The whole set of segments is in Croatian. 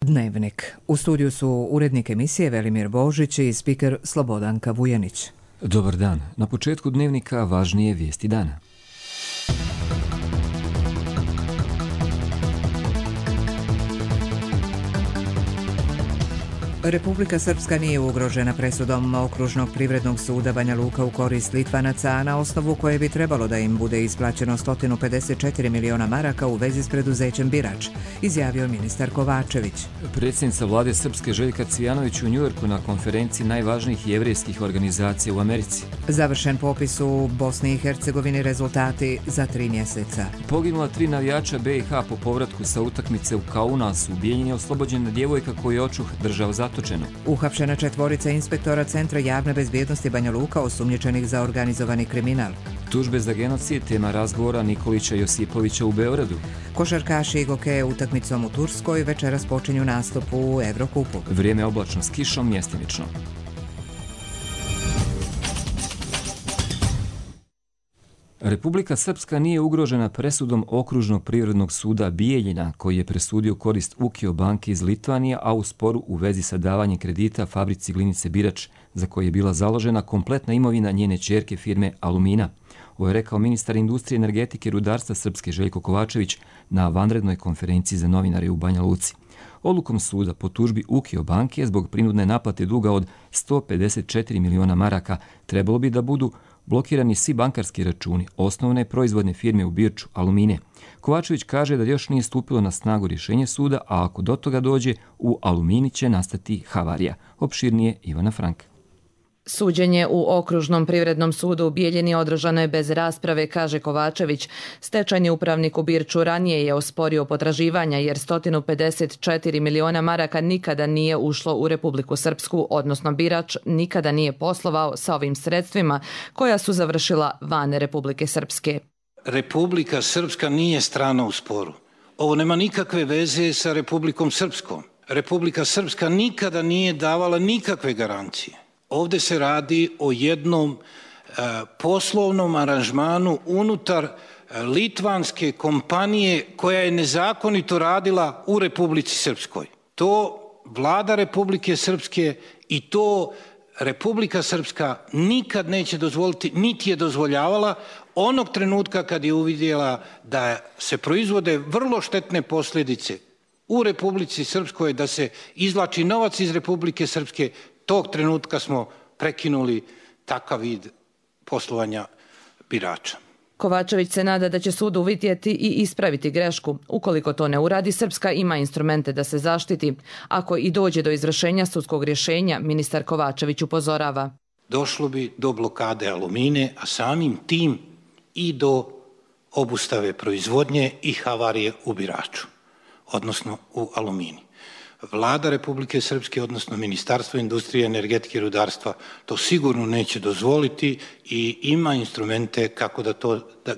Dnevnik. U studiju su urednik emisije Velimir Božić i spiker Slobodanka Vujanić. Dobar dan. Na početku Dnevnika važnije vijesti dana. Republika Srpska nije ugrožena presudom Okružnog privrednog suda Banja Luka u korist Litvanaca, na osnovu koje bi trebalo da im bude isplaćeno 154 miliona maraka u vezi s preduzećem Birač, izjavio ministar Kovačević. Predsjednica vlade Srpske Željka Cvijanović u Njujorku na konferenciji najvažnijih jevrejskih organizacija u Americi. Završen popis u Bosni i Hercegovini, rezultati za 3 mjeseca. Poginula 3 navijača BiH po povratku sa utakmice u Kaunasu. U Bijeljini je oslobođena djevojka koju je očuh držao zatočenu. Uhapšena 4 inspektora Centra javne bezbjednosti Banja Luka osumnjičenih za organizovani kriminal. Tužbe za genocid, tema razgovora Nikolića Josipovića u Beogradu. Košarkaši Igoke utakmicom u Turskoj večeras počinju nastup u Evrokupu. Vrijeme oblačno s kišom, mjestimično. Republika Srpska nije ugrožena presudom Okružnog privrednog suda Bijeljina, koji je presudio korist Ukio banke iz Litvanije, a u sporu u vezi sa davanjem kredita fabrici glinice Birač, za koje je bila založena kompletna imovina njene ćerke firme Alumina. Ovo je rekao ministar industrije, energetike i rudarstva Srpske Željko Kovačević na vanrednoj konferenciji za novinare u Banja Luci. Odlukom suda po tužbi Ukio banke zbog prinudne naplate duga od 154 miliona maraka trebalo bi da budu blokirani svi bankarski računi osnovne proizvodne firme u Birču Alumine. Kovačević kaže da još nije stupilo na snagu rješenje suda, a ako do toga dođe, u Alumini će nastati havarija. Opširnije Ivana Frank. Suđenje u Okružnom privrednom sudu u Bijeljini održano je bez rasprave, kaže Kovačević. Stečajni upravnik u Birču ranije je osporio potraživanja jer 154 miliona maraka nikada nije ušlo u Republiku Srpsku, odnosno Birač nikada nije poslovao sa ovim sredstvima koja su završila van Republike Srpske. Republika Srpska nije strana u sporu. Ovo nema nikakve veze sa Republikom Srpskom. Republika Srpska nikada nije davala nikakve garancije. Ovdje se radi o jednom poslovnom aranžmanu unutar litvanske kompanije koja je nezakonito radila u Republici Srpskoj. To vlada Republike Srpske i to Republika Srpska nikad neće dozvoliti, niti je dozvoljavala onog trenutka kad je uvidjela da se proizvode vrlo štetne posljedice u Republici Srpskoj, da se izvlači novac iz Republike Srpske. Tog trenutka smo prekinuli takav vid poslovanja Birača. Kovačević se nada da će sud uvidjeti i ispraviti grešku. Ukoliko to ne uradi, Srpska ima instrumente da se zaštiti. Ako i dođe do izvršenja sudskog rješenja, ministar Kovačević upozorava. Došlo bi do blokade Alumine, a samim tim i do obustave proizvodnje i havarije u Biraču, odnosno u Alumini. Vlada Republike Srpske, odnosno Ministarstvo industrije, energetike i rudarstva, to sigurno neće dozvoliti i ima instrumente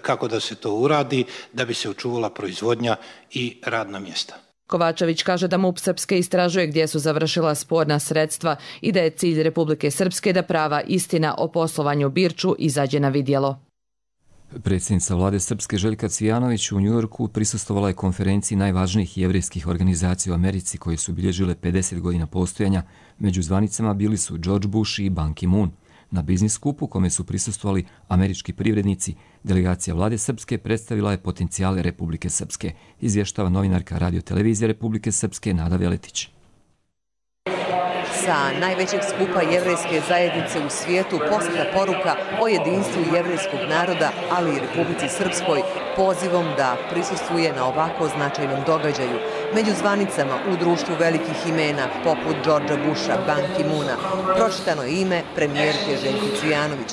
kako da se to uradi, da bi se očuvala proizvodnja i radna mjesta. Kovačević kaže da MUP Srpske istražuje gdje su završila sporna sredstva i da je cilj Republike Srpske da prava istina o poslovanju Birču izađe na vidjelo. Predsjednica vlade Srpske Željka Cvijanović u Njujorku prisustvovala je konferenciji najvažnijih jevrejskih organizacija u Americi koje su bilježile 50 godina postojanja. Među zvanicama bili su George Bush i Ban Ki-moon. Na biznis skupu kome su prisustvovali američki privrednici, delegacija vlade Srpske predstavila je potencijale Republike Srpske, izvještava novinarka Radio-televizije Republike Srpske Nada Veletić. Sa najvećeg skupa jevrejske zajednice u svijetu poslata poruka o jedinstvu jevrejskog naroda, ali i Republici Srpskoj, pozivom da prisustvuje na ovako značajnom događaju. Među zvanicama u društvu velikih imena, poput Georgea Busha, Ban Ki-moona, pročitano je ime premijerke Željke Cvijanović.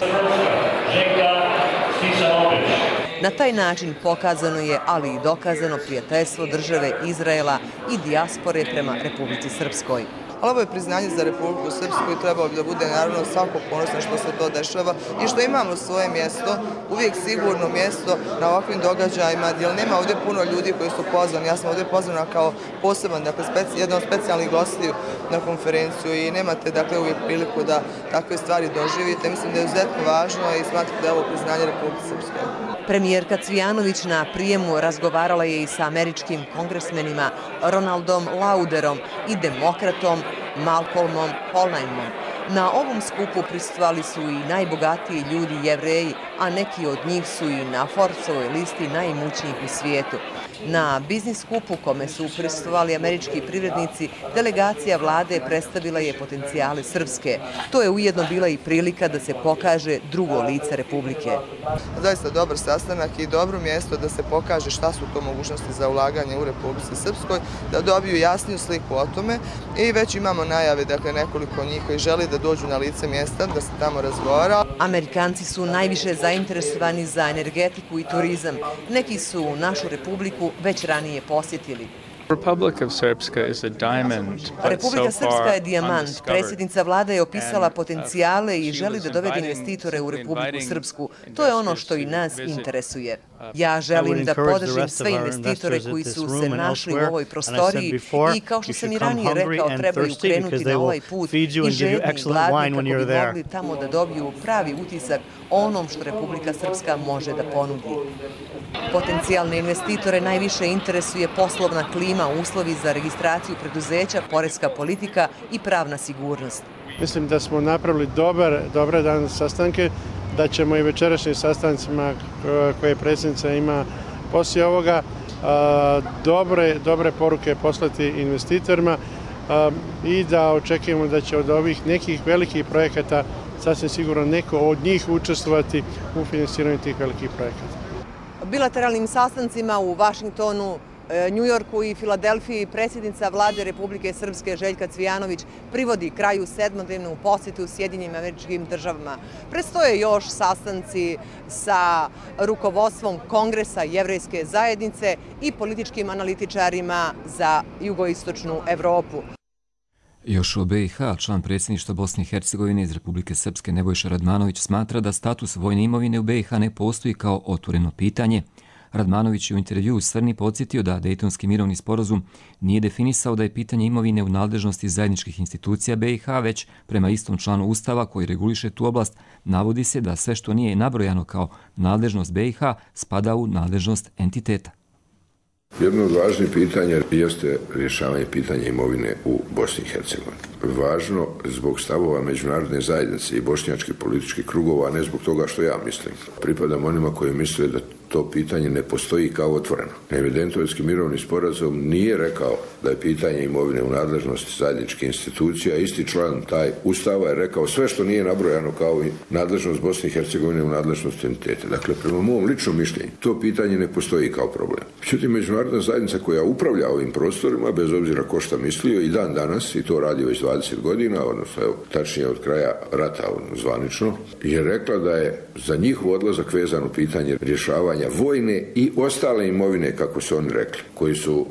Na taj način pokazano je, ali i dokazano prijateljstvo države Izraela i dijaspore prema Republici Srpskoj. Ali ovo je priznanje za Republiku Srpsku i trebalo bi da bude naravno svako ponosno što se to dešava i što imamo svoje mjesto, uvijek sigurno mjesto na ovakvim događajima, jer nema ovdje puno ljudi koji su pozvani. Ja sam ovdje pozvana kao poseban, dakle jedan od specijalnih gostiju na konferenciju i nemate dakle uvijek priliku da takve stvari doživite. Mislim da je izuzetno važno i smatram da je ovo priznanje Republike Srpske. Premijerka Cvijanović na prijemu razgovarala je i sa američkim kongresmenima Ronaldom Lauderom i demokratom Malcolmom Hollheimom. Na ovom skupu prisustvovali su i najbogatiji ljudi Jevreji, a neki od njih su i na Forbesovoj listi najimućnijih u svijetu. Na biznis skupu kome su prisustvovali američki privrednici, delegacija vlade predstavila je potencijale Srpske. To je ujedno bila i prilika da se pokaže drugo lice Republike. Zaista dobar sastanak i dobro mjesto da se pokaže šta su to mogućnosti za ulaganje u Republici Srpskoj, da dobiju jasniju sliku o tome i već imamo najave, dakle nekoliko njih koji želi da dođu na lice mjesta, da se tamo razgovara. Amerikanci su najviše zainteresovani za energetiku i turizam. Neki su našu Republiku već ranije posjetili. Republika Srpska je dijamant. Predsjednica vlade je opisala potencijale i želi da dovede investitore u Republiku Srpsku. To je ono što i nas interesuje. Ja želim da podržim sve investitore koji su se našli u ovoj prostoriji i kao što sam i ranije rekao, trebaju krenuti na ovaj put i žedni i gladni kako bi mogli tamo da dobiju pravi utisak o onom što Republika Srpska može da ponudi. Potencijalne investitore najviše interesuje poslovna klima, uslovi za registraciju preduzeća, poreska politika i pravna sigurnost. Mislim da smo napravili dobre danas sastanke, da ćemo i večerašnjim sastancima koje predsjednica ima poslije ovoga dobre poruke poslati investitorima i da očekujemo da će od ovih nekih velikih projekata sasvim sigurno neko od njih učestvovati u financiranju tih velikih projekata. Bilateralnim sastancima u Vašingtonu, Njujorku i Filadelfiji predsjednica vlade Republike Srpske Željka Cvijanović privodi kraju sedmodnevnu posjetu Sjedinjenim Američkim Državama. Predstoje još sastanci sa rukovodstvom Kongresa Jevrejske zajednice i političkim analitičarima za jugoistočnu Evropu. Još o BiH, član predsjedništva Bosne i Hercegovine iz Republike Srpske Nebojša Radmanović smatra da status vojne imovine u BiH ne postoji kao otvoreno pitanje. Radmanović je u intervjuu u Svrni podsjetio da Dejtonski mirovni sporazum nije definisao da je pitanje imovine u nadležnosti zajedničkih institucija BiH, već prema istom članu Ustava koji reguliše tu oblast navodi se da sve što nije nabrojano kao nadležnost BiH spada u nadležnost entiteta. Jedno od važnih pitanja jeste rješavanje pitanja imovine u Bosni i Hercegovini. Važno zbog stavova međunarodne zajednice i bošnjačkih političkih krugova, a ne zbog toga što ja mislim. Pripadam onima koji misle da to pitanje ne postoji kao otvoreno. Dejtonski mirovni sporazum nije rekao da je pitanje imovine u nadležnosti zajedničkih institucija. Isti član taj Ustava je rekao sve što nije nabrojano kao nadležnost Bosne i Hercegovine u nadležnosti entiteta. Dakle, prema mom ličnom mišljenju, to pitanje ne postoji kao problem. Međutim, međunarodna zajednica koja upravlja ovim prostorima, bez obzira ko šta mislio, i dan danas, i to radi već 20 godina, odnosno tačnije od kraja rata zvanično, je rekla da je za njihov odlazak vezano pitanje rješavanja vojne i ostale imovine, kako su oni rekli, koji su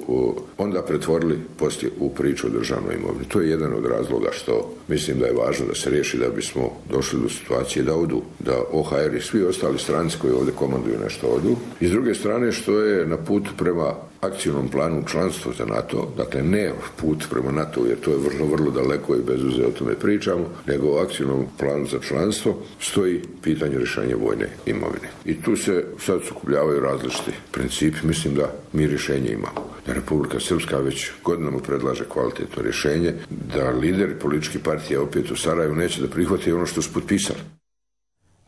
onda pretvorili poslije u priču o državnoj imovini. To je jedan od razloga što mislim da je važno da se riješi da bismo došli do situacije da odu, da OHR i svi ostali stranci koji ovdje komanduju nešto odu. I s druge strane što je na putu prema akcijnom planu članstva za NATO, dakle ne put prema NATO, jer to je vrlo daleko i bez veze o tome pričamo, nego o akcijnom planu za članstvo stoji pitanje rješenja vojne imovine. I tu se sad sukobljavaju različiti principi. Mislim da mi rješenje imamo. Da Republika Srpska već godinama predlaže kvalitetno rješenje, da lideri političkih partija opet u Sarajevu neće da prihvate ono što su potpisali.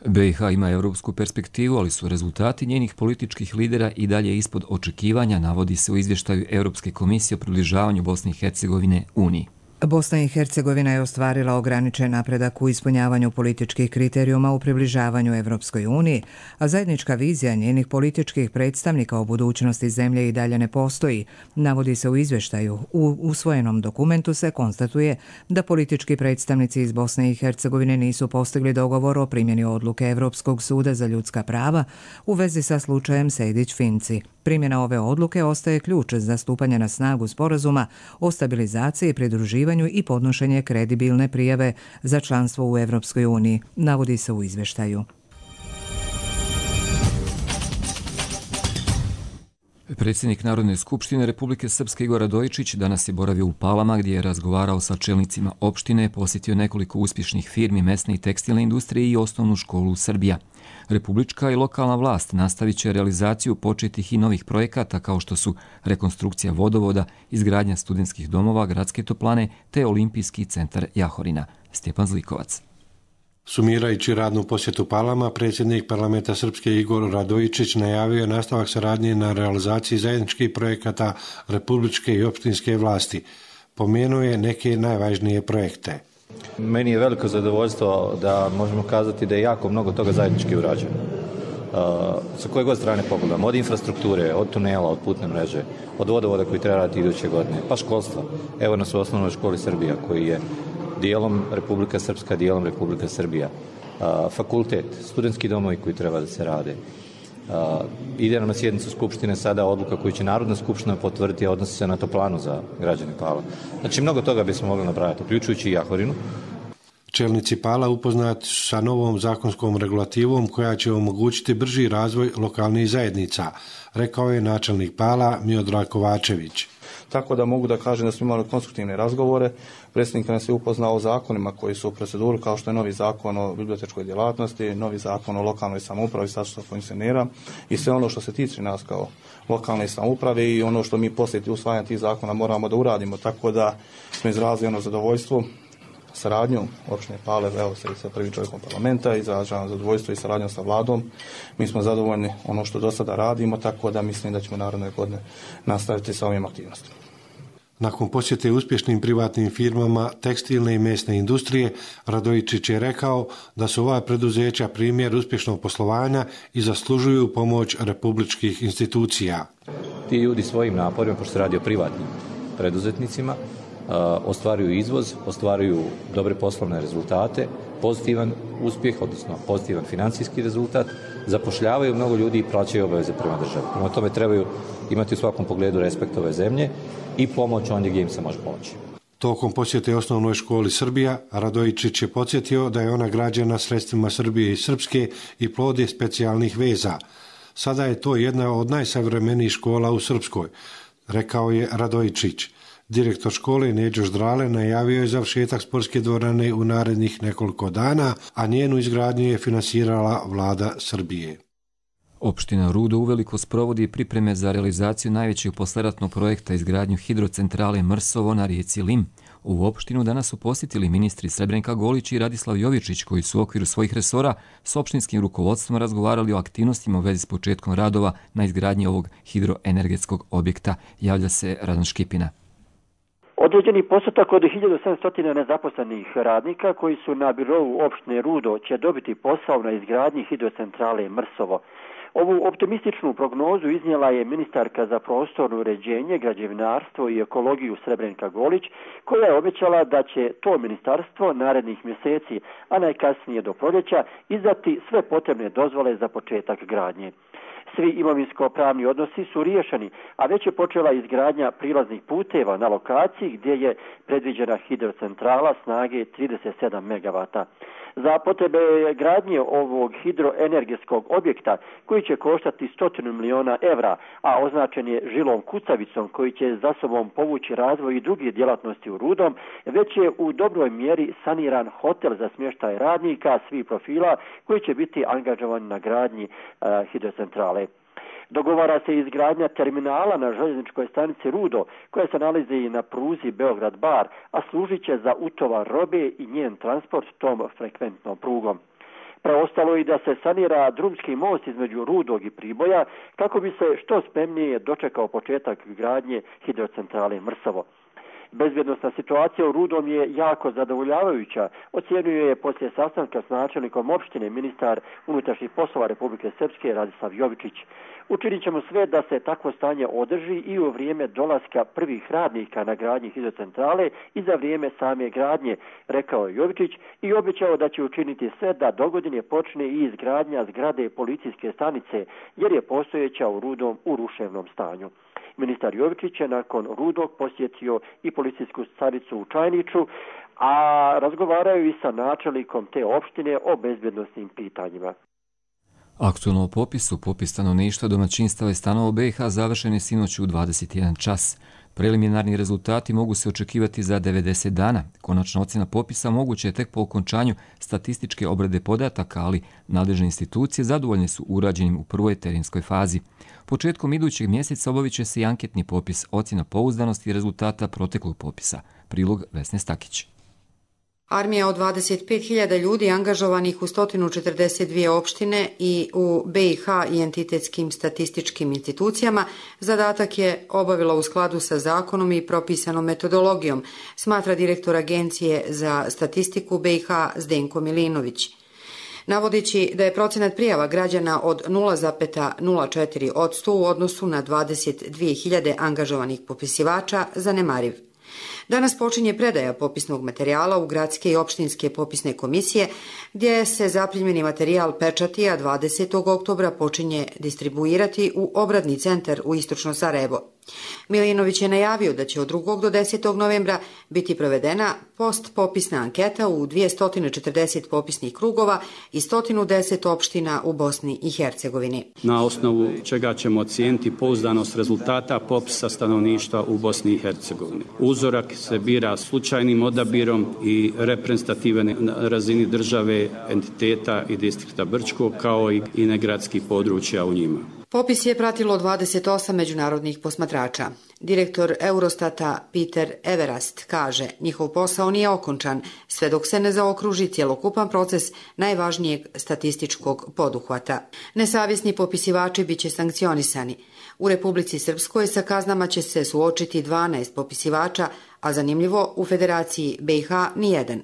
BiH ima europsku perspektivu, ali su rezultati njenih političkih lidera i dalje ispod očekivanja, navodi se u izvještaju Europske komisije o približavanju Bosne i Hercegovine Uniji. Bosna i Hercegovina je ostvarila ograničen napredak u ispunjavanju političkih kriterijuma u približavanju Evropskoj uniji, a zajednička vizija njenih političkih predstavnika o budućnosti zemlje i dalje ne postoji, navodi se u izvještaju. U usvojenom dokumentu se konstatuje da politički predstavnici iz Bosne i Hercegovine nisu postigli dogovor o primjeni odluke Evropskog suda za ljudska prava u vezi sa slučajem Sejdić-Finci. Primjena ove odluke ostaje ključ za stupanje na snagu sporazuma o stabilizaciji, pridruživanju i podnošenje kredibilne prijave za članstvo u Evropskoj uniji, navodi se u izvještaju. Predsjednik Narodne skupštine Republike Srpske Igor Radojičić danas je boravio u Palama gdje je razgovarao sa čelnicima opštine, posjetio nekoliko uspješnih firmi mesne i tekstilne industrije i osnovnu školu Srbija. Republička i lokalna vlast nastavit će realizaciju početih i novih projekata kao što su rekonstrukcija vodovoda, izgradnja studentskih domova, gradske toplane te olimpijski centar Jahorina. Stjepan Zlikovac. Sumirajući radnu posjetu Palama, predsjednik parlamenta Srpske Igor Radojičić najavio je nastavak saradnje na realizaciji zajedničkih projekata republičke i opštinske vlasti. Pomenuo je neke najvažnije projekte. Meni je veliko zadovoljstvo da možemo kazati da je jako mnogo toga zajednički urađeno. Sa koje god strane pogledamo, od infrastrukture, od tunela, od putne mreže, od vodovoda koji treba raditi iduće godine, pa školstva. Evo nas u osnovnoj školi Srbija koji je dijelom Republika Srpska, dijelom Republika Srbija. Fakultet, studentski domovi koji treba da se rade. Ide nam na sjednicu Skupštine sada odluka koju će Narodna skupština potvrditi, a odnosi se na toplanu za građane Pala. Znači, mnogo toga bismo mogli napraviti, uključujući i Jahorinu. Čelnici Pala upoznati su sa novom zakonskom regulativom koja će omogućiti brži razvoj lokalnih zajednica, rekao je načelnik Pala Miodrag Kovačević. Tako da mogu da kažem da smo imali konstruktivne razgovore. Predsjednik nas je upoznao o zakonima koji su u proceduru, kao što je novi zakon o bibliotečkoj djelatnosti, novi zakon o lokalnoj samoupravi, statusu funkcionera i sve ono što se tiče nas kao lokalne samouprave i ono što mi poslije usvajanja tih zakona moramo da uradimo. Tako da smo izrazili ono zadovoljstvo saradnju opštine Pale, evo se i sa prvim čovjekom parlamenta, izražavam zadovoljstvo i saradnjom sa vladom. Mi smo zadovoljni ono što do sada radimo, tako da mislim da ćemo naredne godine nastaviti sa ovim aktivnostima. Nakon posjete uspješnim privatnim firmama tekstilne i mesne industrije, Radojičić je rekao da su ova preduzeća primjer uspješnog poslovanja i zaslužuju pomoć republičkih institucija. Ti ljudi svojim naporima, pošto se radi o privatnim preduzetnicima, ostvaruju izvoz, ostvaruju dobre poslovne rezultate, pozitivan uspjeh, odnosno pozitivan financijski rezultat, zapošljavaju mnogo ljudi i plaćaju obaveze prema državi. Prema tome trebaju imati u svakom pogledu respekt ove zemlje i pomoć ondje gdje im se može pomoći. Tokom posjete osnovnoj školi Srbija, Radojičić je podsjetio da je ona građena sredstvima Srbije i Srpske i plod je specijalnih veza. Sada je to jedna od najsavremenijih škola u Srpskoj, rekao je Radojičić. Direktor škole Neđo Ždrale najavio je završetak sportske dvorane u narednih nekoliko dana, a njenu izgradnju je finansirala vlada Srbije. Opština Rudo uveliko sprovodi pripreme za realizaciju najvećeg posleratnog projekta izgradnju hidrocentrale Mrsovo na rijeci Lim. U opštinu danas su posjetili ministri Srebrenka Golić i Radislav Jovičić koji su u okviru svojih resora s opštinskim rukovodstvom razgovarali o aktivnostima u vezi s početkom radova na izgradnji ovog hidroenergetskog objekta, javlja se Radan Škipina. Određeni postotak od 1700 nezaposlenih radnika koji su na birou opštine Rudo će dobiti posao na izgradnji hidrocentrale Mrsovo. Ovu optimističnu prognozu iznijela je ministarka za prostorno uređenje, građevinarstvo i ekologiju Srebrenka Golić, koja je obećala da će to ministarstvo narednih mjeseci, a najkasnije do proljeća, izdati sve potrebne dozvole za početak gradnje. Svi imovinsko-pravni odnosi su riješeni, a već je počela izgradnja prilaznih puteva na lokaciji gdje je predviđena hidrocentrala snage 37 MW. Za potrebe gradnje ovog hidroenergetskog objekta, koji će koštati 100 miliona evra, a označen je žilom kucavicom koji će za sobom povući razvoj i drugih djelatnosti u Rudom, već je u dobroj mjeri saniran hotel za smještaj radnika svih profila koji će biti angažovani na gradnji hidrocentrale. Dogovara se izgradnja terminala na željezničkoj stanici Rudo, koja se nalazi na pruzi Beograd-Bar, a služit će za utovar robe i njen transport tom frekventnom prugom. Preostalo je da se sanira drumski most između Rudog i Priboja, kako bi se što spremnije dočekao početak gradnje hidrocentrale Mrsovo. Bezbjednosna situacija u Rudom je jako zadovoljavajuća, ocjenjuje je poslije sastanka s načelnikom opštine ministar unutrašnjih poslova Republike Srpske Radislav Jovičić. Učinit ćemo sve da se takvo stanje održi i u vrijeme dolaska prvih radnika na gradnji hidrocentrale i za vrijeme same gradnje, rekao je Jovičić i obećao da će učiniti sve da dogodine počne i izgradnja zgrade policijske stanice, jer je postojeća u Rudom u ruševnom stanju. Ministar Jovičić je nakon Rudog posjetio i policijsku stanicu u Čajniću, a razgovaraju i sa načelnikom te opštine o bezbjednosnim pitanjima. Aktualno o popisu, popis stanovništva, domaćinstava i stanova u BiH završen je sinoć u 21 čas. Preliminarni rezultati mogu se očekivati za 90 dana. Konačna ocjena popisa moguće je tek po okončanju statističke obrade podataka, ali nadležne institucije zadovoljne su urađenim u prvoj terenskoj fazi. Početkom idućeg mjeseca obavit će se i anketni popis, ocjena pouzdanosti i rezultata proteklog popisa. Prilog Vesne Stakić. Armija od 25.000 ljudi angažovanih u 142 opštine i u BiH i entitetskim statističkim institucijama zadatak je obavila u skladu sa zakonom i propisanom metodologijom, smatra direktor Agencije za statistiku BiH Zdenko Milinović. Navodeći da je procenat prijava građana od 0,04% u odnosu na 22.000 angažovanih popisivača zanemariv. Danas počinje predaja popisnog materijala u gradske i opštinske popisne komisije, gdje se zaprimljeni materijal pečati, a 20. oktobra počinje distribuirati u obradni centar u istočno Sarajevo. Milinović je najavio da će od 2. do 10. novembra biti provedena postpopisna anketa u 240 popisnih krugova i 110 opština u Bosni i Hercegovini. Na osnovu čega ćemo ocijeniti pouzdanost rezultata popisa stanovništva u Bosni i Hercegovini. Uzorak se bira slučajnim odabirom i reprezentativan na razini države, entiteta i distrikta Brčko, kao i negradskih područja u njima. Popis je pratilo 28 međunarodnih posmatrača. Direktor Eurostata Peter Everast kaže, njihov posao nije okončan sve dok se ne zaokruži cjelokupan proces najvažnijeg statističkog poduhvata. Nesavjesni popisivači bit će sankcionisani. U Republici Srpskoj sa kaznama će se suočiti 12 popisivača, a zanimljivo u Federaciji BiH nijedan.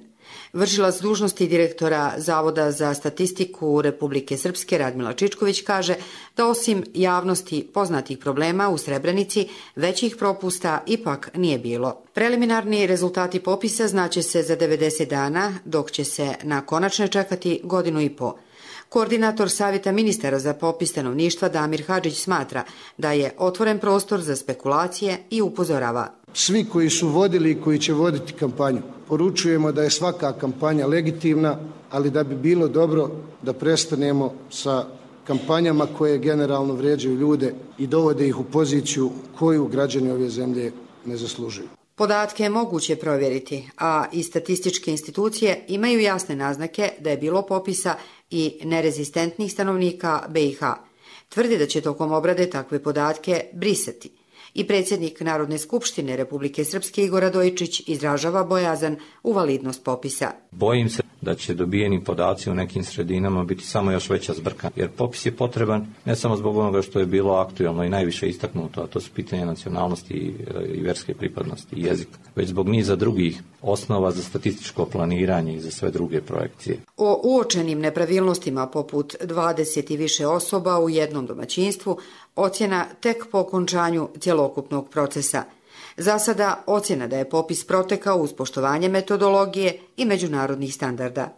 Vršilac dužnosti direktora Zavoda za statistiku Republike Srpske Radmila Čičković kaže da osim javnosti poznatih problema u Srebrenici, većih propusta ipak nije bilo. Preliminarni rezultati popisa znaće se za 90 dana, dok će se na konačne čekati 1,5 godine. Koordinator Savjeta ministara za popis stanovništva Damir Hadžić smatra da je otvoren prostor za spekulacije i upozorava. Svi koji su vodili i koji će voditi kampanju, poručujemo da je svaka kampanja legitimna, ali da bi bilo dobro da prestanemo sa kampanjama koje generalno vrijeđaju ljude i dovode ih u poziciju koju građani ove zemlje ne zaslužuju. Podatke je moguće provjeriti, a i statističke institucije imaju jasne naznake da je bilo popisa i nerezistentnih stanovnika BiH. Tvrdi da će tokom obrade takve podatke brisati. I predsjednik Narodne skupštine Republike Srpske Igor Radojičić izražava bojazan u validnost popisa. Bojim se da će dobijeni podaci u nekim sredinama biti samo još veća zbrka, jer popis je potreban ne samo zbog onoga što je bilo aktualno i najviše istaknuto, a to su pitanje nacionalnosti i vjerske pripadnosti i jezika, već zbog niza drugih osnova za statističko planiranje i za sve druge projekcije. O uočenim nepravilnostima poput 20 i više osoba u jednom domaćinstvu ocjena tek po okončanju cjelokupnog procesa. Za sada ocjena da je popis protekao uz poštovanje metodologije i međunarodnih standarda.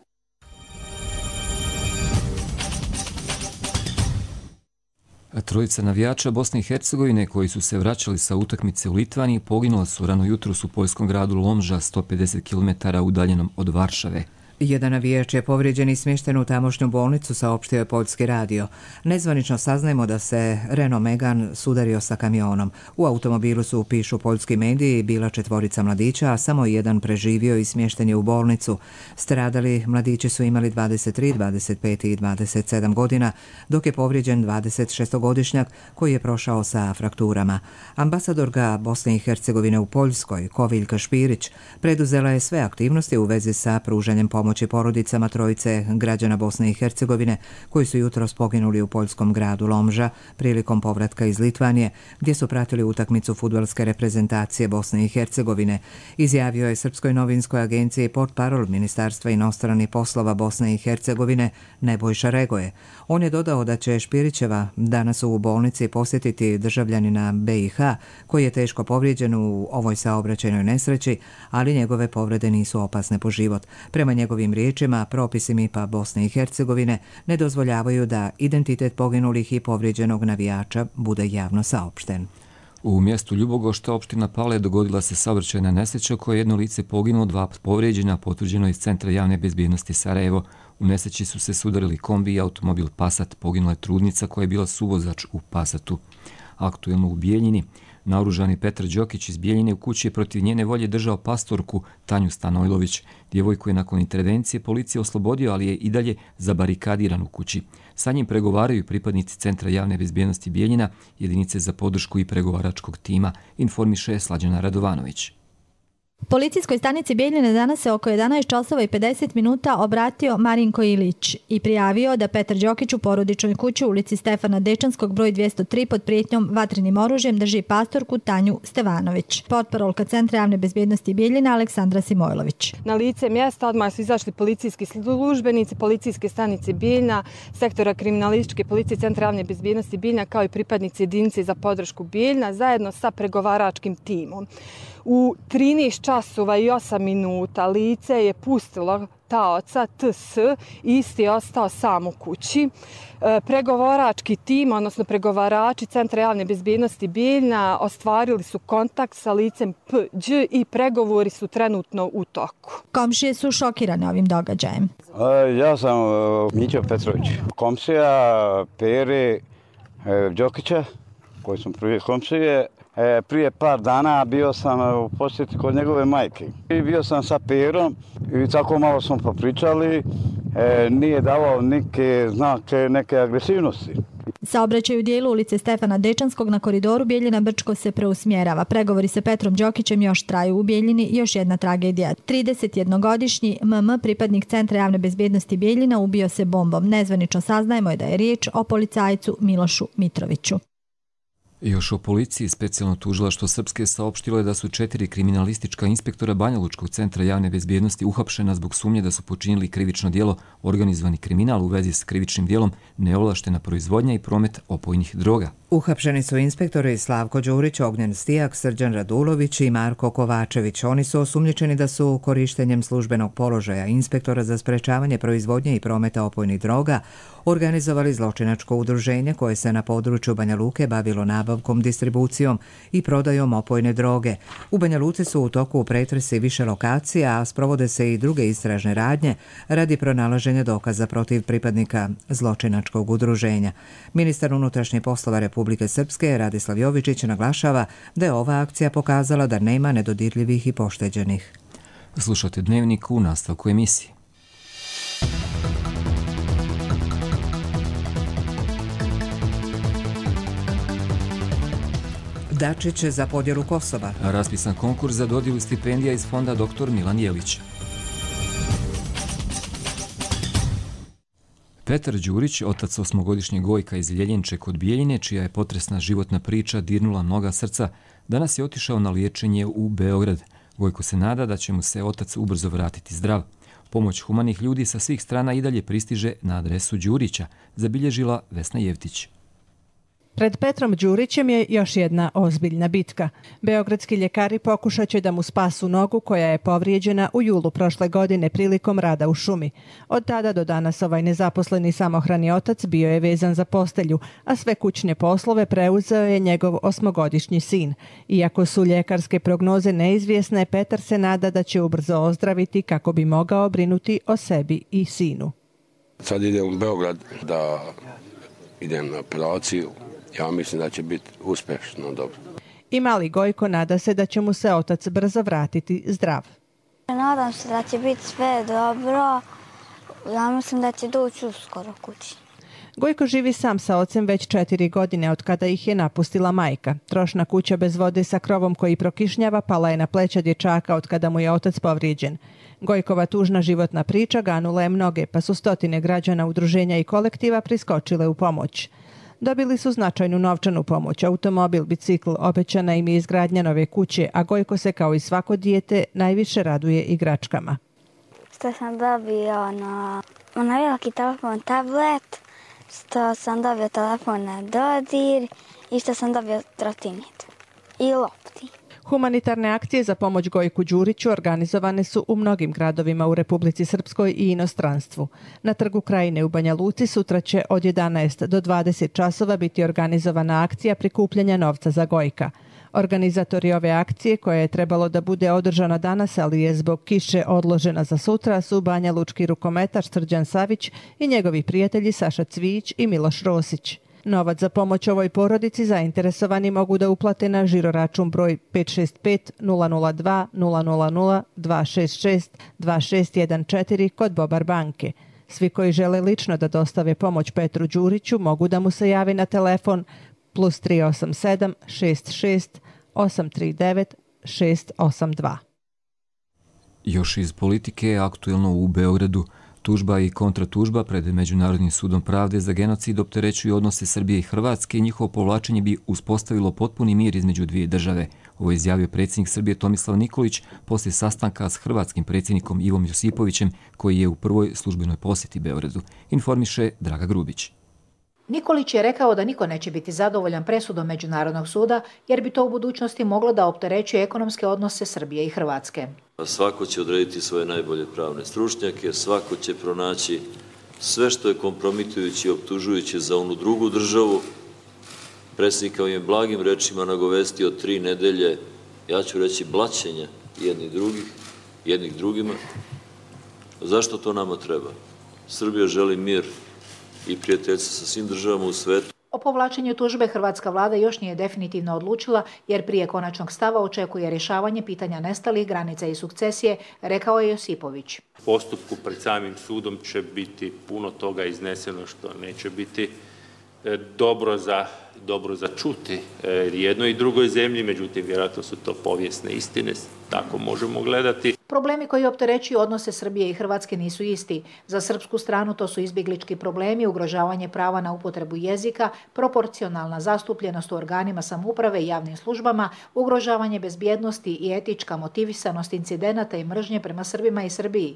Trojica navijača Bosne i Hercegovine koji su se vraćali sa utakmice u Litvaniji poginula su rano jutros u poljskom gradu Lomža, 150 km udaljenom od Varšave. Jedan navijač je povrijeđen i smješten u tamošnju bolnicu, saopštio je Poljski radio. Nezvanično saznajemo da se Renault Megane sudario sa kamionom. U automobilu su, pišu poljski mediji, bila 4 mladića, a samo jedan preživio i smješten je u bolnicu. Stradali mladići su imali 23, 25 i 27 godina, dok je povrijeđen 26-godišnjak koji je prošao sa frakturama. Ambasadorka Bosne i Hercegovine u Poljskoj, Koviljka Špirić, preduzela je sve aktivnosti u vezi sa pružanjem pomoći porodicama trojice građana Bosne i Hercegovine koji su jutros poginuli u poljskom gradu Lomža prilikom povratka iz Litvanije, gdje su pratili utakmicu fudbalske reprezentacije Bosne i Hercegovine, izjavio je Srpskoj novinskoj agenciji portparol Ministarstva inostranih poslova Bosne i Hercegovine Nebojša Regoje. On je dodao da će Špirićeva danas u bolnici posjetiti državljanina BiH koji je teško povrijeđen u ovoj saobraćajnoj nesreći, ali njegove povrede nisu opasne po život. Prema njegovim riječima, propisi MIP-a Bosne i Hercegovine ne dozvoljavaju da identitet poginulih i povrijeđenog navijača bude javno saopšten. U mjestu Ljubogošta, opština Pale, dogodila se saobraćajna nesreća u kojoj je jedno lice poginulo, 2 povrijeđena, potvrđeno iz Centra javne bezbjednosti Sarajevo. U nesreći su se sudarili kombi i automobil Passat. Poginula je trudnica koja je bila suvozač u Passatu. Aktuelno u Bijeljini, naoružani Petar Đokić iz Bijeljine u kući je protiv njene volje držao pastorku Tanju Stanojlović. Djevojku je nakon intervencije policije oslobodio, ali je i dalje zabarikadiran u kući. Sa njim pregovaraju pripadnici Centra javne bezbjednosti Bijeljina, jedinice za podršku i pregovaračkog tima, informiše Slađana Radovanović. Policijskoj stanici Bijeljine danas se oko 11 časova i 50 minuta obratio Marinko Ilić i prijavio da Petar Đokić u porodičnoj kući u ulici Stefana Dečanskog broj 203 pod prijetnjom vatrenim oružjem drži pastorku Tanju Stevanović. Portparolka Centra javne bezbjednosti Bijeljina Aleksandra Simojlović. Na lice mjesta odmah su izašli policijski službenici, policijske stanice Bijeljina, sektora kriminalističke policije Centra javne bezbjednosti Bijeljina kao i pripadnici jedinice za podršku Bijeljina zajedno sa pregovaračkim timom. U 13 časova i 8 minuta lice je pustilo taoca TS i isti je ostao sam u kući. Pregovarački tim, odnosno pregovarači Centra javne bezbjednosti Bijeljina ostvarili su kontakt sa licem Pđ i pregovori su trenutno u toku. Komšije su šokirane ovim događajem. Ja sam Mićo Petrović, komšija Pere Đokića, koji sam prvi komšije. Prije par dana bio sam u posjeti kod njegove majke. I bio sam sa Perom i tako malo smo popričali. Nije davao neke znake, neke agresivnosti. Saobraćaj u dijelu ulice Stefana Dečanskog na koridoru Bijeljina-Brčko se preusmjerava. Pregovori sa Petrom Đokićem još traju u Bijeljini, još jedna tragedija. 31-godišnji MM, pripadnik Centra javne bezbjednosti Bijeljina, ubio se bombom. Nezvanično saznajemo je da je riječ o policajcu Milošu Mitroviću. Još o policiji, specijalno tužilaštvo Srpske saopštilo je da su 4 kriminalistička inspektora Banjalučkog centra javne bezbjednosti uhapšena zbog sumnje da su počinili krivično djelo organizovani kriminal u vezi s krivičnim djelom neovlaštena proizvodnja i promet opojnih droga. Uhapšeni su inspektori Slavko Đurić, Ognjen Stijak, Srđan Radulović i Marko Kovačević. Oni su osumnjičeni da su korištenjem službenog položaja inspektora za sprečavanje proizvodnje i prometa opojnih droga organizovali zločinačko udruženje koje se na području Banja Luke bavilo nabavkom, distribucijom i prodajom opojne droge. U Banja Luci su u toku pretresi više lokacija, a sprovode se i druge istražne radnje radi pronalaženja dokaza protiv pripadnika zločinačkog udruženja. Ministar unutrašnjih poslova Republike Srpske Radislav Jovičić naglašava da je ova akcija pokazala da nema nedodirljivih i pošteđenih. Slušate Dnevnik u nastavku emisije. Dačić za podjelu Kosova. Raspisan konkurs za dodjelu stipendija iz fonda dr. Milan Jelić. Petar Đurić, otac 8-godišnjeg Gojka iz Ljeljenče kod Bijeljine, čija je potresna životna priča dirnula mnoga srca, danas je otišao na liječenje u Beograd. Gojko se nada da će mu se otac ubrzo vratiti zdrav. Pomoć humanih ljudi sa svih strana i dalje pristiže na adresu Đurića, zabilježila Vesna Jevtić. Pred Petrom Đurićem je još jedna ozbiljna bitka. Beogradski ljekari pokušat će da mu spasu nogu koja je povrijeđena u julu prošle godine prilikom rada u šumi. Od tada do danas ovaj nezaposleni samohrani otac bio je vezan za postelju, a sve kućne poslove preuzeo je njegov 8-godišnji sin. Iako su ljekarske prognoze neizvjesne, Petar se nada da će ubrzo ozdraviti kako bi mogao brinuti o sebi i sinu. Sad idem u Beograd da idem na operaciju. Ja mislim da će biti uspješno, dobro. I mali Gojko nada se da će mu se otac brzo vratiti zdrav. Nadam se da će biti sve dobro. Ja mislim da će doći uskoro kući. Gojko živi sam sa ocem već 4 godine od kada ih je napustila majka. Trošna kuća bez vode sa krovom koji prokišnjava pala je na pleća dječaka od kada mu je otac povrijeđen. Gojkova tužna životna priča ganula je mnoge, pa su stotine građana, udruženja i kolektiva priskočile u pomoć. Dobili su značajnu novčanu pomoć, automobil, bicikl, obećana im je izgradnja nove kuće, a Gojko se kao i svako dijete najviše raduje igračkama. Što sam dobio na veliki telefon, tablet, što sam dobio telefon na dodir i što sam dobio trotinet i lopti. Humanitarne akcije za pomoć Gojku Đuriću organizovane su u mnogim gradovima u Republici Srpskoj i inostranstvu. Na Trgu Krajine u Banja Luci sutra će od 11 do 20 časova biti organizovana akcija prikupljanja novca za Gojka. Organizatori ove akcije, koja je trebalo da bude održana danas, ali je zbog kiše odložena za sutra, su Banja Lučki rukometaš Srđan Savić i njegovi prijatelji Saša Cvijić i Miloš Rosić. Novac za pomoć ovoj porodici zainteresovani mogu da uplate na žiroračun broj 565 002 000 266 2614 kod Bobar banke. Svi koji žele lično da dostave pomoć Petru Đuriću mogu da mu se jave na telefon plus 387 66 839 682. Još iz politike, aktuelno u Beogradu, tužba i kontratužba pred Međunarodnim sudom pravde za genocid opterećuju odnose Srbije i Hrvatske i njihovo povlačenje bi uspostavilo potpuni mir između dvije države. Ovo je izjavio predsjednik Srbije Tomislav Nikolić poslije sastanka s hrvatskim predsjednikom Ivom Josipovićem, koji je u prvoj službenoj posjeti Beogradu, informiše Draga Grubić. Nikolić je rekao da niko neće biti zadovoljan presudom Međunarodnog suda, jer bi to u budućnosti moglo da opterećuje ekonomske odnose Srbije i Hrvatske. Svako će odrediti svoje najbolje pravne stručnjake, svako će pronaći sve što je kompromitujuće i optužujuće za onu drugu državu. Predsjednik ovim blagim rečima nagovestio 3 nedelje, ja ću reći, blaćenja jednih drugima. Zašto to nama treba? Srbija želi mir i prijateljstvo sa svim državama u svetu. O povlačenju tužbe hrvatska vlada još nije definitivno odlučila, jer prije konačnog stava očekuje rješavanje pitanja nestalih, granica i sukcesije, rekao je Josipović. U postupku pred samim sudom će biti puno toga izneseno što neće biti dobro za čuti jednoj i drugoj zemlji, međutim vjerojatno su to povijesne istine, tako možemo gledati. Problemi koji opterećuju odnose Srbije i Hrvatske nisu isti. Za srpsku stranu to su izbjeglički problemi, ugrožavanje prava na upotrebu jezika, proporcionalna zastupljenost u organima samouprave i javnim službama, ugrožavanje bezbjednosti i etička motivisanost incidenata i mržnje prema Srbima i Srbiji.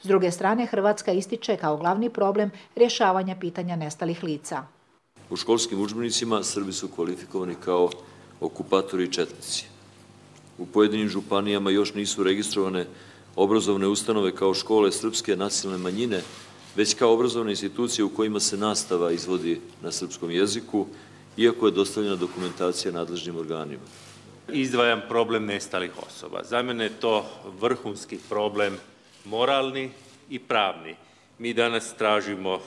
S druge strane, Hrvatska ističe kao glavni problem rješavanja pitanja nestalih lica. U školskim udžbenicima Srbi su kvalifikovani kao okupatori i četnici. U pojedinim županijama još nisu registrovane obrazovne ustanove kao škole srpske nacionalne manjine, već kao obrazovne institucije u kojima se nastava izvodi na srpskom jeziku, iako je dostavljena dokumentacija nadležnim organima. Izdvajam problem nestalih osoba. Za mene je to vrhunski problem moralni i pravni. Mi danas tražimo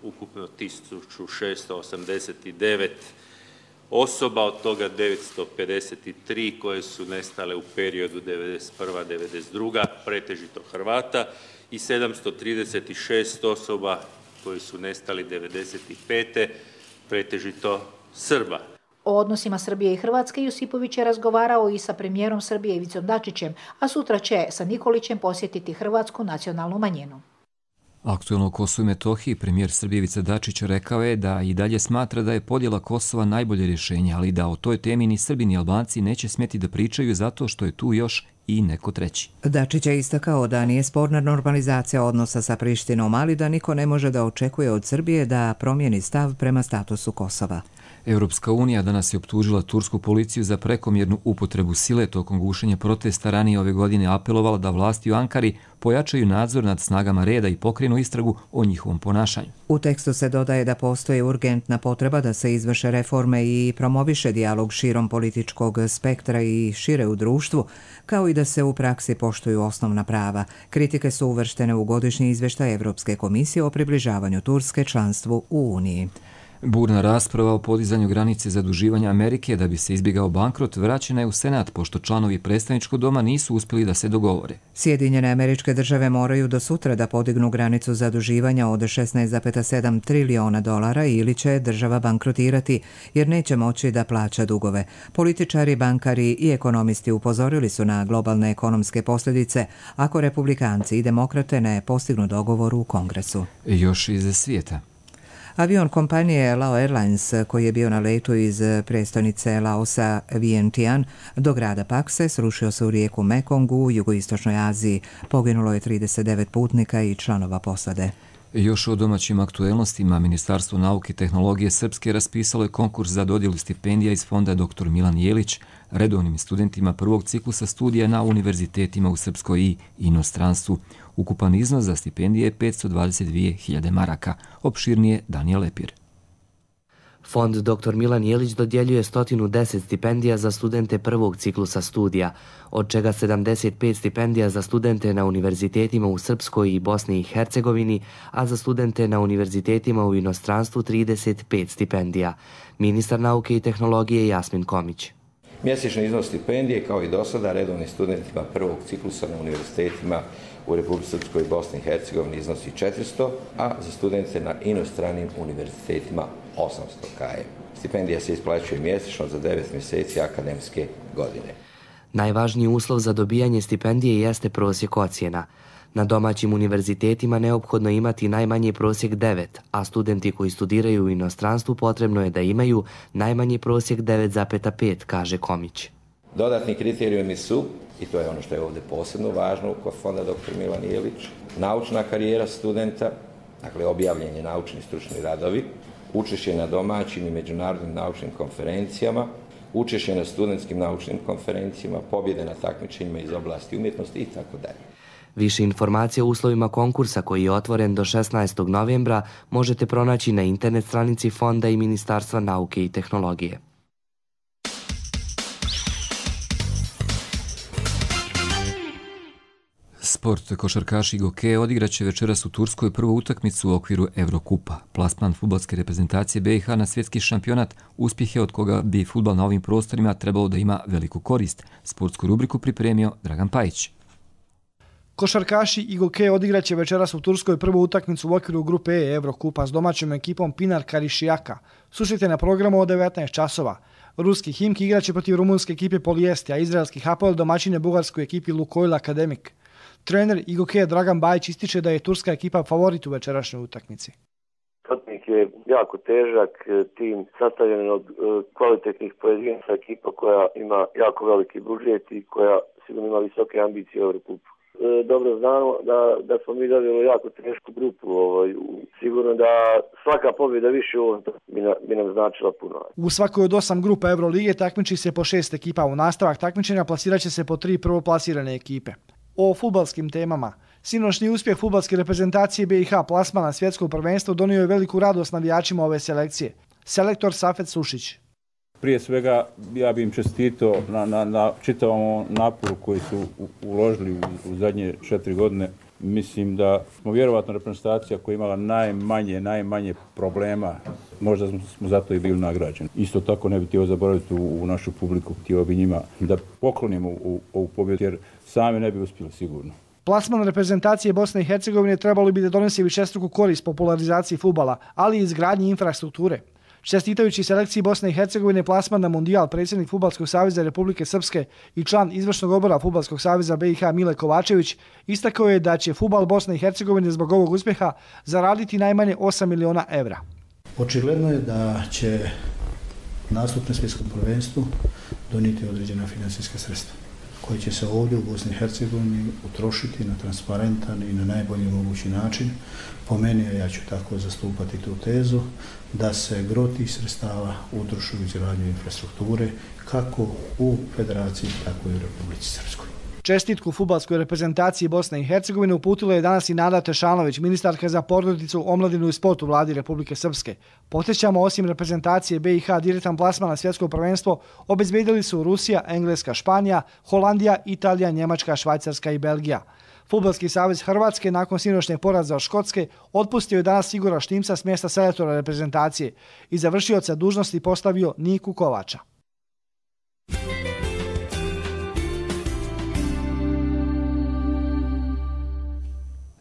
ukupno 1689 osoba, od toga 953 koje su nestale u periodu 1991-1992, pretežito Hrvata, i 736 osoba koji su nestali 1995. pretežito Srba. O odnosima Srbije i Hrvatske Josipović je razgovarao i sa premijerom Srbije Ivicom Dačićem, a sutra će sa Nikolićem posjetiti hrvatsku nacionalnu manjinu. Aktuelno o Kosovu i Metohiji premijer Srbije Ivica Dačić rekao je da i dalje smatra da je podjela Kosova najbolje rješenje, ali da o toj temi ni Srbi ni Albanci neće smjeti da pričaju zato što je tu još i neko treći. Dačić je istakao da nije sporna normalizacija odnosa sa Prištinom, ali da niko ne može da očekuje od Srbije da promijeni stav prema statusu Kosova. Europska unija danas je optužila tursku policiju za prekomjernu upotrebu sile tokom gušenja protesta. Ranije ove godine apelovala da vlasti u Ankari pojačaju nadzor nad snagama reda i pokrenu istragu o njihovom ponašanju. U tekstu se dodaje da postoji urgentna potreba da se izvrše reforme i promoviše dijalog širom političkog spektra i šire u društvu, kao i da se u praksi poštuju osnovna prava. Kritike su uvrštene u godišnji izvještaj Evropske komisije o približavanju Turske članstvu u Uniji. Burna rasprava o podizanju granice zaduživanja Amerike da bi se izbjegao bankrot vraćena je u Senat, pošto članovi predstavničkog doma nisu uspjeli da se dogovore. Sjedinjene Američke Države moraju do sutra da podignu granicu zaduživanja od 16,7 trilijona dolara ili će država bankrotirati, jer neće moći da plaća dugove. Političari, bankari i ekonomisti upozorili su na globalne ekonomske posljedice ako republikanci i demokrate ne postignu dogovor u Kongresu. Još iz svijeta. Avion kompanije Lao Airlines, koji je bio na letu iz prestonice Laosa Vientiane do grada Pakse, srušio se u rijeku Mekong u jugoistočnoj Aziji. Poginulo je 39 putnika i članova posade. Još o domaćim aktuelnostima, Ministarstvo nauke i tehnologije Srpske raspisalo je konkurs za dodjelu stipendija iz fonda Dr. Milan Jelić redovnim studentima prvog ciklusa studija na univerzitetima u Srpskoj i inostranstvu. Ukupan iznos za stipendije je 522.000 maraka. Opširnije Danijel Lepir. Fond dr. Milan Jelić dodjeljuje 110 stipendija za studente prvog ciklusa studija, od čega 75 stipendija za studente na univerzitetima u Srpskoj i Bosni i Hercegovini, a za studente na univerzitetima u inostranstvu 35 stipendija. Ministar nauke i tehnologije Jasmin Komić. Mjesečni iznos stipendije, kao i do sada, redovnim studentima prvog ciklusa na univerzitetima u Republici Srpskoj i Bosni i Hercegovini iznosi 400, a za studente na inostranim univerzitetima 800 km. Stipendija se isplaćuje mjesečno za 9 mjeseci akademske godine. Najvažniji uslov za dobijanje stipendije jeste prosjek ocjena. Na domaćim univerzitetima neophodno imati najmanji prosjek 9, a studenti koji studiraju u inostranstvu potrebno je da imaju najmanji prosjek 9,5, kaže Komić. Dodatni kriterijumi su, i to je ono što je ovdje posebno važno kod Fonda dr. Milan Jelić, naučna karijera studenta, dakle objavljeni naučni stručni radovi, učešće na domaćim i međunarodnim naučnim konferencijama, učešće na studentskim naučnim konferencijama, pobjede na takmičenjima iz oblasti umjetnosti itd. Više informacija o uslovima konkursa koji je otvoren do 16. novembra možete pronaći na internet stranici Fonda i Ministarstva nauke i tehnologije. Sport. Košarkaši Goke odigraće večeras u Turskoj prvu utakmicu u okviru Evrokupa. Plasman fudbalske reprezentacije BiH na svjetski šampionat uspjeh je od koga bi fudbal na ovim prostorima trebalo da ima veliku korist. Sportsku rubriku pripremio Dragan Pajić. Košarkaši i Goke odigraće večeras u Turskoj prvu utakmicu u okviru grupe E Evrokupa s domaćom ekipom Pinar Karišijaka. Susrete na programu od 19 časova. Ruski Himki igraće protiv rumunske ekipe Polijesti, a izraelski Hapoel domaćine bugarskoj ekipi Lukoil Akademik. Trener i Goke Dragan Bajić ističe da je turska ekipa favorit u večerašnjoj utakmici. Protivnik je jako težak tim, sastavljen od kvalitetnih pojedinaca, ekipa koja ima jako veliki budžet i koja sigurno ima visoke ambicije u Evrokupu. Dobro znamo da smo mi dobili jako tešku grupu. Sigurno da svaka pobjeda više u ovom bi nam značila puno. U svakoj od 8 grupa Evrolige takmiči se po 6 ekipa. U nastavak takmičenja plasiraće se po 3 prvoplasirane ekipe. O fudbalskim temama. Sinoćni uspjeh fudbalske reprezentacije BiH plasman na svjetsko prvenstvo donio je veliku radost navijačima ove selekcije. Selektor Safet Sušić. Prije svega ja bih im čestitao na čitavom naporu koji su uložili u zadnje 4 godine. Mislim da smo vjerovatno reprezentacija koja je imala najmanje problema. Možda smo zato i bili nagrađeni. Isto tako ne bih htio zaboraviti u našu publiku, htio bi njima da poklonimo ovu pobjedu jer sami ne bi uspjeli sigurno. Plasman reprezentacije Bosne i Hercegovine trebalo bi da donese višestruku korist popularizaciji fudbala, ali i izgradnji infrastrukture. Čestitajući selekciji Bosne i Hercegovine plasman na Mundijal, predsjednik Fudbalskog saveza Republike Srpske i član izvršnog odbora Fudbalskog saveza BiH Mile Kovačević istakao je da će fudbal Bosne i Hercegovine zbog ovog uspjeha zaraditi najmanje 8 miliona evra. Očigledno je da će nastup na svjetskom prvenstvu donijeti određena financijska sredstva koje će se ovdje u Bosni i Hercegovini utrošiti na transparentan i na najbolji mogući način. Po meni, a ja ću tako zastupati tu tezu, da se gro tih sredstava utroši u izgradnju infrastrukture kako u Federaciji, tako i u Republici Srpskoj. Čestitku fudbalskoj reprezentaciji Bosne i Hercegovine uputila je danas i Nada Tešanović, ministarka za porodicu, omladinu i sport u vladi Republike Srpske. Podsjećamo, osim reprezentacije BiH, direktan plasman na svjetsko prvenstvo obezbedili su Rusija, Engleska, Španija, Holandija, Italija, Njemačka, Švajcarska i Belgija. Fudbalski savez Hrvatske nakon sinoćnjeg poraza od Škotske otpustio je danas Igora Štimca s mjesta selektora reprezentacije i za vršioca dužnosti postavio Niku Kovača.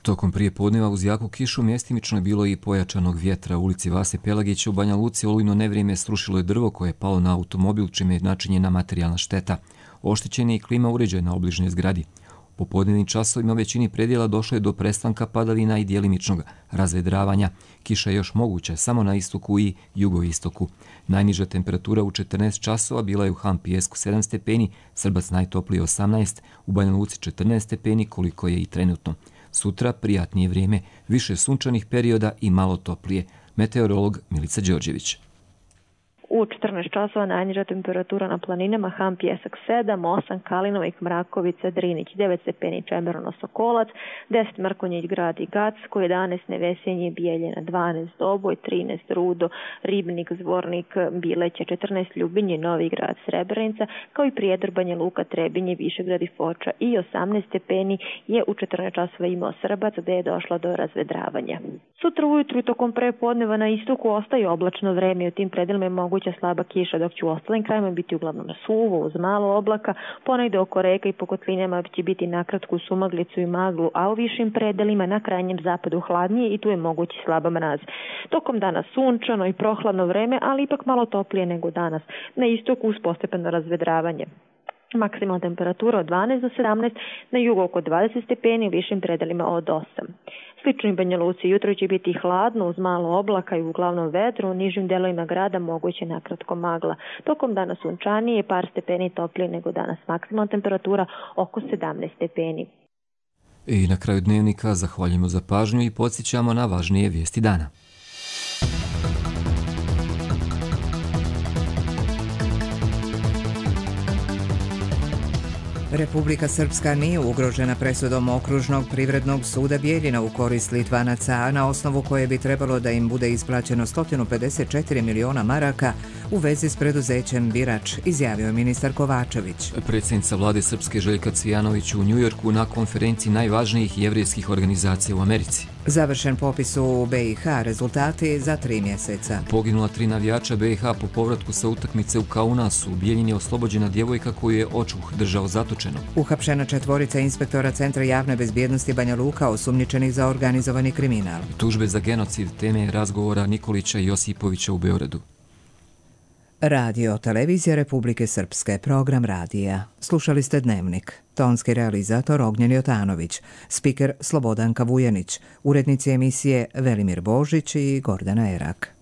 Tokom prije podneva uz jaku kišu mjestimično je bilo i pojačanog vjetra. U ulici Vase Pelagića u Banja Luci olujno nevrijeme srušilo je drvo koje je palo na automobil, čime je načinjena materijalna šteta. Oštećen je i klima uređaj na obližnjoj zgradi. U popodnevnim časovima u većini predjela došlo je do prestanka padavina i djelimičnog razvedravanja. Kiša je još moguća samo na istoku i jugoistoku. Najniža temperatura u 14 časova bila je u Han Pijesku 7 stepeni, Srbac najtoplije 18, u Banja Luci 14 stepeni koliko je i trenutno. Sutra prijatnije vrijeme, više sunčanih perioda i malo toplije. Meteorolog Milica Đorđević. U 14 časova najniža temperatura na planinama Ham Pjesak 7, 8 Kalinovik, Mrakovica, Drinić 9 stepeni, Čemerno, Sokolac, 10 Mrkonjić, Grad i Gacko, 11 Nevesenje, Bijeljina, 12 Doboj, 13 Rudo, Ribnik, Zvornik, Bileće, 14 Ljubinje, Novi Grad, Srebrenica, kao i Prijedor, Banja Luka, Trebinje, Višegrad i Foča i 18 stepeni je u 14 časova imao Srbac, gde je došlo do razvedravanja. Sutra ujutru i tokom prepodneva na istoku ostaje oblačno vreme i u tim predelima je moguća slaba kiša, dok će u ostalim krajima biti uglavnom suvo, uz malo oblaka, ponegde oko reka i po kotlinama će biti nakratku sumaglicu i maglu, a u višim predelima na krajnjem zapadu hladnije i tu je mogući slaba mraz. Tokom dana sunčano i prohladno vreme, ali ipak malo toplije nego danas. Na istoku uz postepeno razvedravanje. Maksimalna temperatura od 12 do 17, na jugu oko 20 stepeni, u višim predelima od 8. Slično i Banja Luci, jutro će biti hladno uz malo oblaka i uglavnom vedro, u nižim delovima grada moguće nakratko magla. Tokom dana sunčanije, par stepeni toplije nego danas, maksimalna temperatura oko 17 stepeni. I na kraju dnevnika zahvaljujemo za pažnju i podsjećamo na važnije vijesti dana. Republika Srpska nije ugrožena presudom Okružnog privrednog suda Bijeljina u korist Litvanaca, a na osnovu koje bi trebalo da im bude isplaćeno 154 miliona maraka u vezi s preduzećem Birač, izjavio je ministar Kovačević. Predsjednica vlade Srpske Željka Cvijanović u Njujorku na konferenciji najvažnijih jevrejskih organizacija u Americi. Završen popis u BiH, rezultati za 3 mjeseca. Poginula 3 navijača BiH po povratku sa utakmice u Kaunasu. U Bijeljini je oslobođena djevojka koju je očuh držao zatočeno. Uhapšena 4 inspektora Centra javne bezbjednosti Banja Luka osumnjičenih za organizovani kriminal. Tužbe za genocid teme razgovora Nikolića i Josipovića u Beogradu. Radio Televizija Republike Srpske, program radija. Slušali ste Dnevnik. Tonski realizator Ognjen Jotanović, spiker Slobodanka Vujanić, urednici emisije Velimir Božić i Gordana Erak.